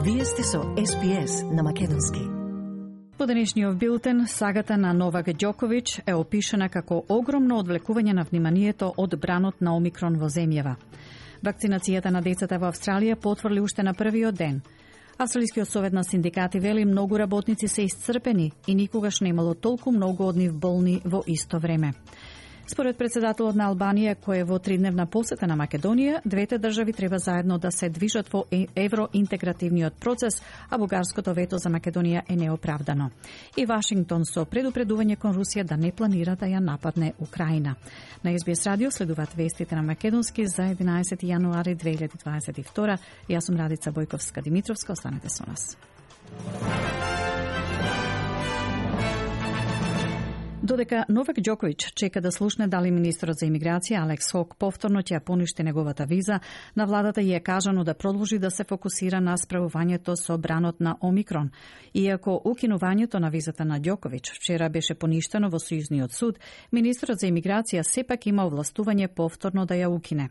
Вие сте со СПС на македонски. По денешниот билтен, сагата на Новак Ѓоковиќ е опишана како огромно одвлекување на вниманието од бранот на Омикрон во земјава. Вакцинацијата на децата во Австралија потврди уште на првиот ден. Австралискиот совет на синдикати вели многу работници се исцрпени и никогаш не имало толку многу од нив болни во исто време. Според председателот на Албанија, кој е во 3-дневна посета на Македонија, двете држави треба заедно да се движат во евроинтегративниот процес, а бугарското вето за Македонија е неоправдано. И Вашингтон со предупредување кон Русија да не планира да ја нападне Украина. На SBS радио следуваат вестите на македонски за 11 јануари 2022. Јас сум Радица Бојковска-Димитровска, останете со нас. Додека Новак Ѓоковиќ чека да слушне дали министерот за имиграција Алекс Хок повторно ќе ја поништи неговата виза, на владата ја е кажано да продолжи да се фокусира на справувањето со бранот на Омикрон. Иако укинувањето на визата на Ѓоковиќ вчера беше поништено во Сојузниот суд, министерот за имиграција сепак има овластување повторно да ја укине.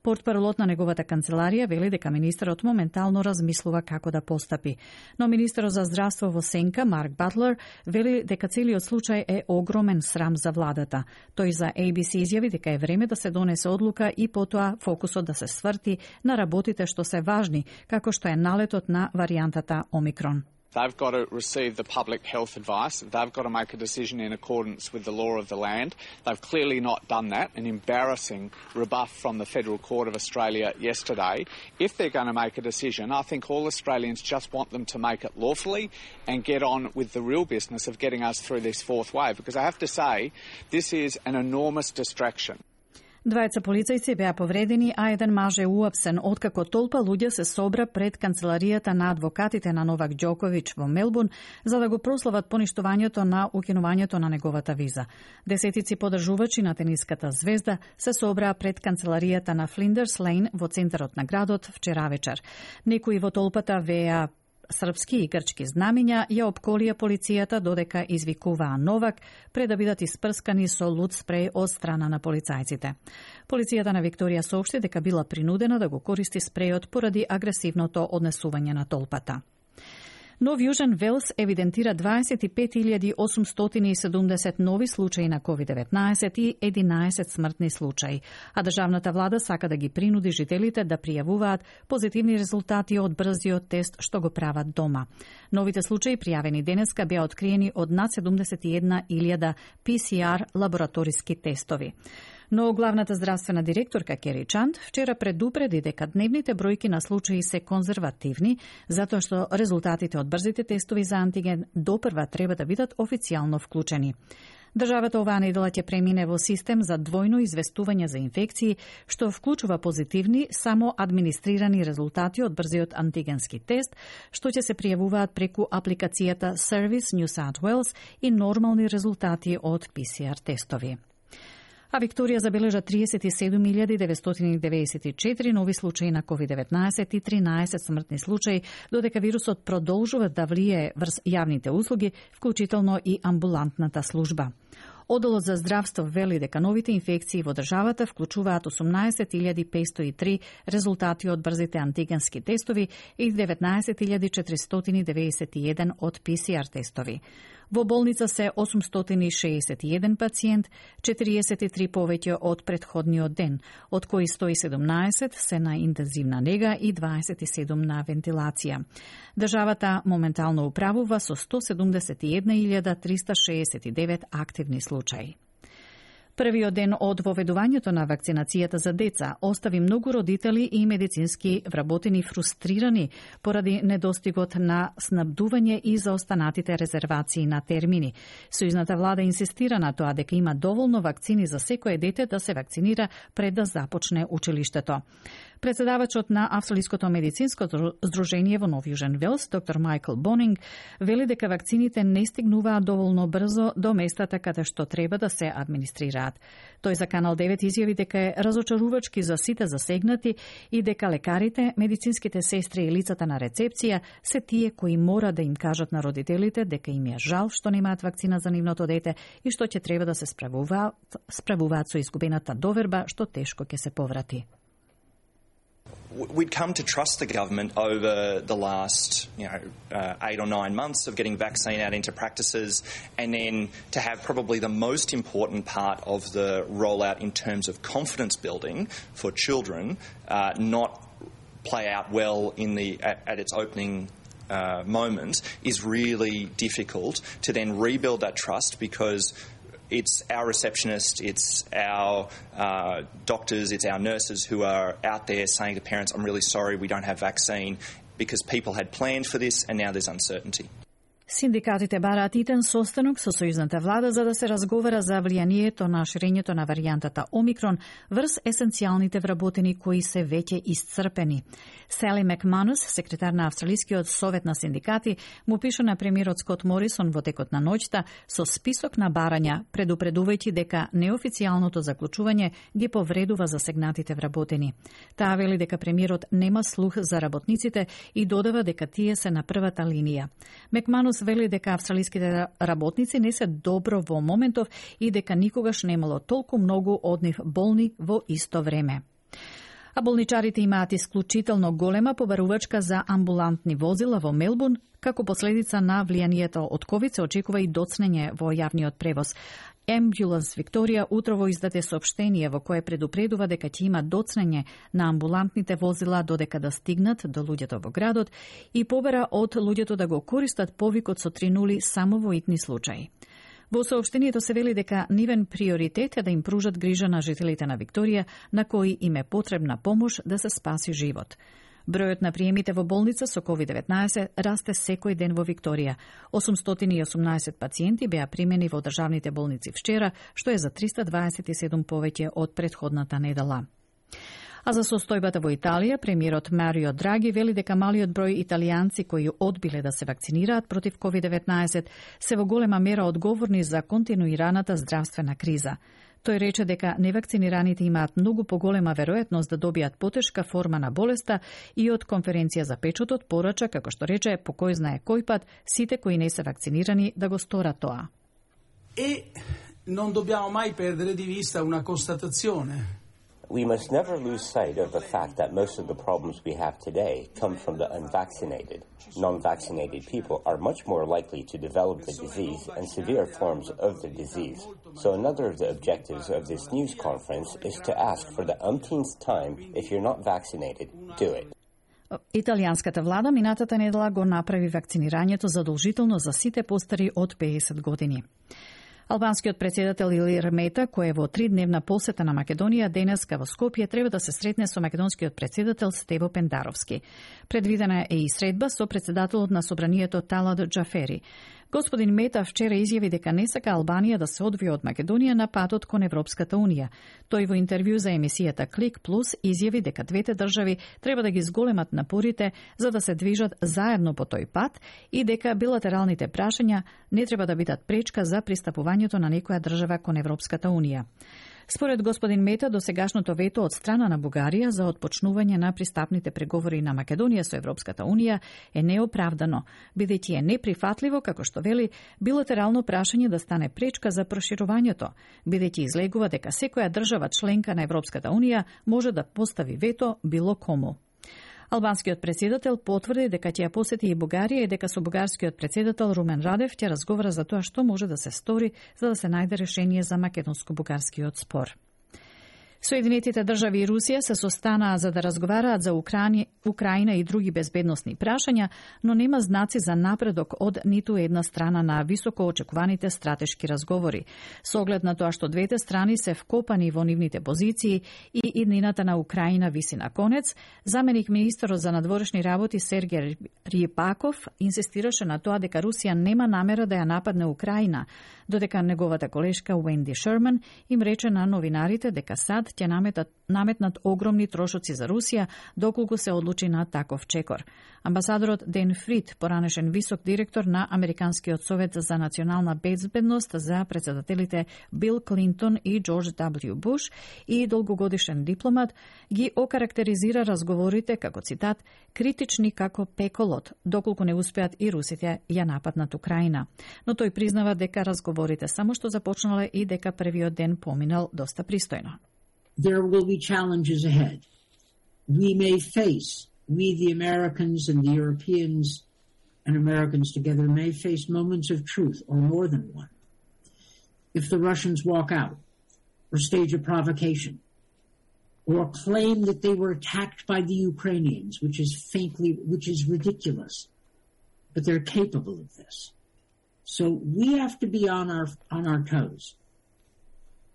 Портпаролот на неговата канцеларија вели дека министерот моментално размислува како да постапи. Но министерот за здравство во сенка Марк Батлер вели дека целиот случај е огромен срам за владата. Тој за ABC изјави дека е време да се донесе одлука и потоа фокусот да се сврти на работите што се важни, како што е налетот на варијантата Омикрон. They've got to receive the public health advice. They've got to make a decision in accordance with the law of the land. They've clearly not done that. An embarrassing rebuff from the Federal Court of Australia yesterday. If they're going to make a decision, I think all Australians just want them to make it lawfully and get on with the real business of getting us through this fourth wave. Because I have to say, this is an enormous distraction. Двајца полицајци беа повредени, а еден маж е уапсен, откако толпа луѓе се собра пред канцеларијата на адвокатите на Новак Ѓоковиќ во Мелбурн за да го прослават поништувањето на укинувањето на неговата виза. Десетици поддржувачи на тениската звезда се собраа пред канцеларијата на Флиндерс Лейн во центарот на градот вчера вечер. Некои во толпата веа српски и грчки знамиња, ја опколија полицијата додека извикуваа Новак пред да бидат испрскани со луд спреј од страна на полицајците. Полицијата на Викторија соопшти дека била принудена да го користи спрејот поради агресивното однесување на толпата. Нов Јужен Велс евидентира 25.870 нови случаи на COVID-19 и 11 смртни случаи, а државната влада сака да ги принуди жителите да пријавуваат позитивни резултати од брзиот тест што го прават дома. Новите случаи пријавени денеска беа откриени од над 71.000 PCR лабораториски тестови. Но главната здравствена директорка Кери Чанд вчера предупреди дека дневните бројки на случаи се конзервативни, затоа што резултатите од брзите тестови за антиген допрва треба да бидат официјално вклучени. Државата оваа недела ќе премине во систем за двојно известување за инфекции, што вклучува позитивни, само администрирани резултати од брзиот антигенски тест, што ќе се пријавуваат преку апликацијата Service New South Wales и нормални резултати од PCR тестови. А Викторија забележа 37.994 нови случаи на COVID-19 и 13 смртни случаи, додека вирусот продолжува да влијае врз јавните услуги, вклучително и амбулантната служба. Одделот за здравство вели дека новите инфекции во државата вклучуваат 18.503 резултати од брзите антигенски тестови и 19.491 од PCR тестови. Во болница се 861 пациент, 43 повеќе од претходниот ден, од кои 117 се на интензивна нега и 27 на вентилација. Државата моментално управува со 171.369 активни случаи. Првиот ден од воведувањето на вакцинацијата за деца остави многу родители и медицински вработени фрустрирани поради недостигот на снабдување и заостанатите резервации на термини. Сојузната влада инсистира на тоа дека има доволно вакцини за секое дете да се вакцинира пред да започне училиштето. Председавачот на Австралиското медицинско здружение во Нов Јужен Велс, доктор Майкл Бонинг, вели дека вакцините не стигнуваат доволно брзо до местата каде што треба да се администрираат. Тој за Канал 9 изјави дека е разочарувачки за сите засегнати и дека лекарите, медицинските сестри и лицата на рецепција се тие кои мора да им кажат на родителите дека им е жал што немаат вакцина за нивното дете и што ќе треба да се справуваат со изгубената доверба што тешко ќе се поврати. We'd come to trust the government over the last, 8 or 9 months of getting vaccine out into practices, and then to have probably the most important part of the rollout in terms of confidence building for children not play out well at its opening moment is really difficult to then rebuild that trust, because it's our receptionist, it's our doctors, it's our nurses who are out there saying to parents, I'm really sorry we don't have vaccine, because people had planned for this and now there's uncertainty. Синдикатите бараат итен состанок со сојузната влада за да се разговара за влијанието на ширењето на варијантата Омикрон врз есенцијалните вработени кои се веќе исцрпени. Сели Макманус, секретар на Австралискиот совет на синдикати, му пише на премиерот Скот Морисон во текот на ноќта со список на барања, предупредувајќи дека неофицијалното заклучување ги повредува засегнатите вработени. Таа вели дека премиерот нема слух за работниците и додава дека тие се на првата линија. Макманус вели дека австралиските работници не се добро во моментов и дека никогаш немало толку многу од нив болни во исто време. А болничарите имаат исклучително голема побарувачка за амбулантни возила во Мелбурн. Како последица на влијанието од ковид се очекува и доцнење во јавниот превоз. Ambulance Викторија утрово издаде соопштение во кое предупредува дека ќе има доцнење на амбулантните возила додека да стигнат до луѓето во градот и побара од луѓето да го користат повикот со 3 нули само во итни случаи. Во соопштението се вели дека нивен приоритет е да им пружат грижа на жителите на Викторија, на кои им е потребна помош да се спаси живот. Бројот на приемите во болница со COVID-19 расте секој ден во Викторија. 818 пациенти беа примени во државните болници вчера, што е за 327 повеќе од претходната недела. А за состојбата во Италија, премиерот Марио Драги вели дека малиот број италијанци кои одбиле да се вакцинираат против COVID-19 се во голема мера одговорни за континуираната здравствена криза. Тој рече дека невакцинираните имаат многу поголема веројатност да добијат потешка форма на болеста и од конференција за печотот порача, како што рече, по кој знае кој пат, сите кои не се вакцинирани да го сторат тоа. E non dobbiamo mai perdere di vista una constatazione. We must never lose sight of the fact that most of the problems we have today come from the unvaccinated. Non-vaccinated people are much more likely to develop the disease and severe forms of the disease. So another of the objectives of this news conference is to ask for the umpteenth time, if you're not vaccinated, do it. Италијанската влада минатата недела го направи вакцинирањето задолжително за сите постари од 50 години. Албанскиот председател Илир Мета, кој е во 3-дневна посета на Македонија денеска во Скопје, треба да се сретне со македонскиот председател Стево Пендаровски. Предвидена е и средба со председателот на собранието Талат Џафери. Господин Мета вчера изјави дека не сака Албанија да се одвие од Македонија на патот кон Европската Унија. Тој во интервју за емисијата Клик Плюс изјави дека двете држави треба да ги зголемат напорите за да се движат заедно по тој пат и дека билатералните прашања не треба да бидат пречка за пристапувањето на некоја држава кон Европската Унија. Според господин Мета, досегашното вето од страна на Бугарија за отпочнување на пристапните преговори на Македонија со Европската Унија е неоправдано, бидејќи е неприфатливо, како што вели, билатерално прашање да стане пречка за проширувањето, бидејќи излегува дека секоја држава членка на Европската Унија може да постави вето било кому. Албанскиот председател потврди дека ќе ја посети и Бугарија и дека со бугарскиот председател Румен Радев ќе разговара за тоа што може да се стори за да се најде решение за македонско-бугарскиот спор. Соединетите држави и Русија се состанаа за да разговараат за Украина и други безбедносни прашања, но нема знаци за напредок од ниту една страна на високо очекуваните стратешки разговори. Со оглед на тоа што двете страни се вкопани во нивните позиции и иднината на Украина виси на конец, заменик министерот за надворешни работи Сергеј Рипаков инсистираше на тоа дека Русија нема намера да ја нападне Украина, додека неговата колешка Уенди Шерман им рече на новинарите дека САД ќе наметнат огромни трошоци за Русија доколку се одлучи на таков чекор. Амбасадорот Ден Фрид, поранешен висок директор на Американскиот совет за национална безбедност за председателите Бил Клинтон и Џорџ W. Буш и долгогодишен дипломат, ги окарактеризира разговорите како цитат критични како пеколот, доколку не успеат и русите ја нападнат Украина. Но тој признава дека разговорите само што започнале и дека првиот ден поминал доста пристојно. There will be challenges ahead. we may face, we the Americans and the Europeans and Americans together may face moments of truth, or more than one. If the Russians walk out, or stage a provocation, or claim that they were attacked by the Ukrainians, which is ridiculous, but they're capable of this. So we have to be on our toes.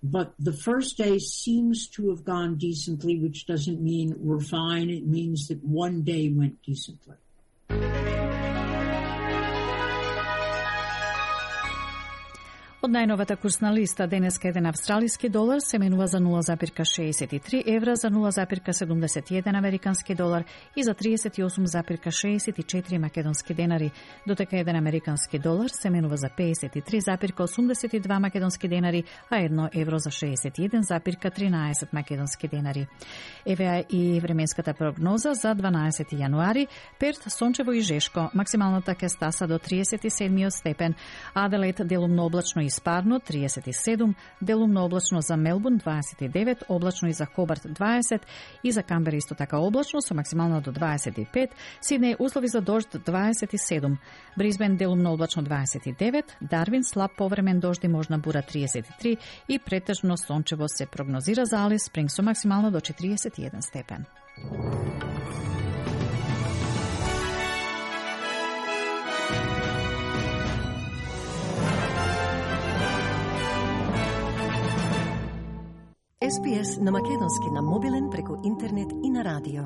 But the first day seems to have gone decently, which doesn't mean we're fine. It means that one day went decently. Од најновата курсна листа денеска еден австралиски долар се менува за 0,63 евра, за 0,71 американски долар и за 38,64 македонски денари, дотека еден американски долар се менува за 53,82 македонски денари, а 1 евро за 61,13 македонски денари. Еве и временската прогноза за 12 јануари. Перт сончево и жешко, максималната ќе стаса до 37 степен, Аделаид делумно облачно и спарно 37, делумно облачно за Мелбурн 29, облачно и за Хобарт 20 и за Камбера исто така облачно со максимално до 25, Сиднеј услови за дожд 27, Брисбен делумно облачно 29, Дарвин слаб повремен дожд и можна бура 33 и претежно сончево се прогнозира за Алис Спринг со максимално до 41 степен. SPS на македонски на мобилен преку интернет и на радио.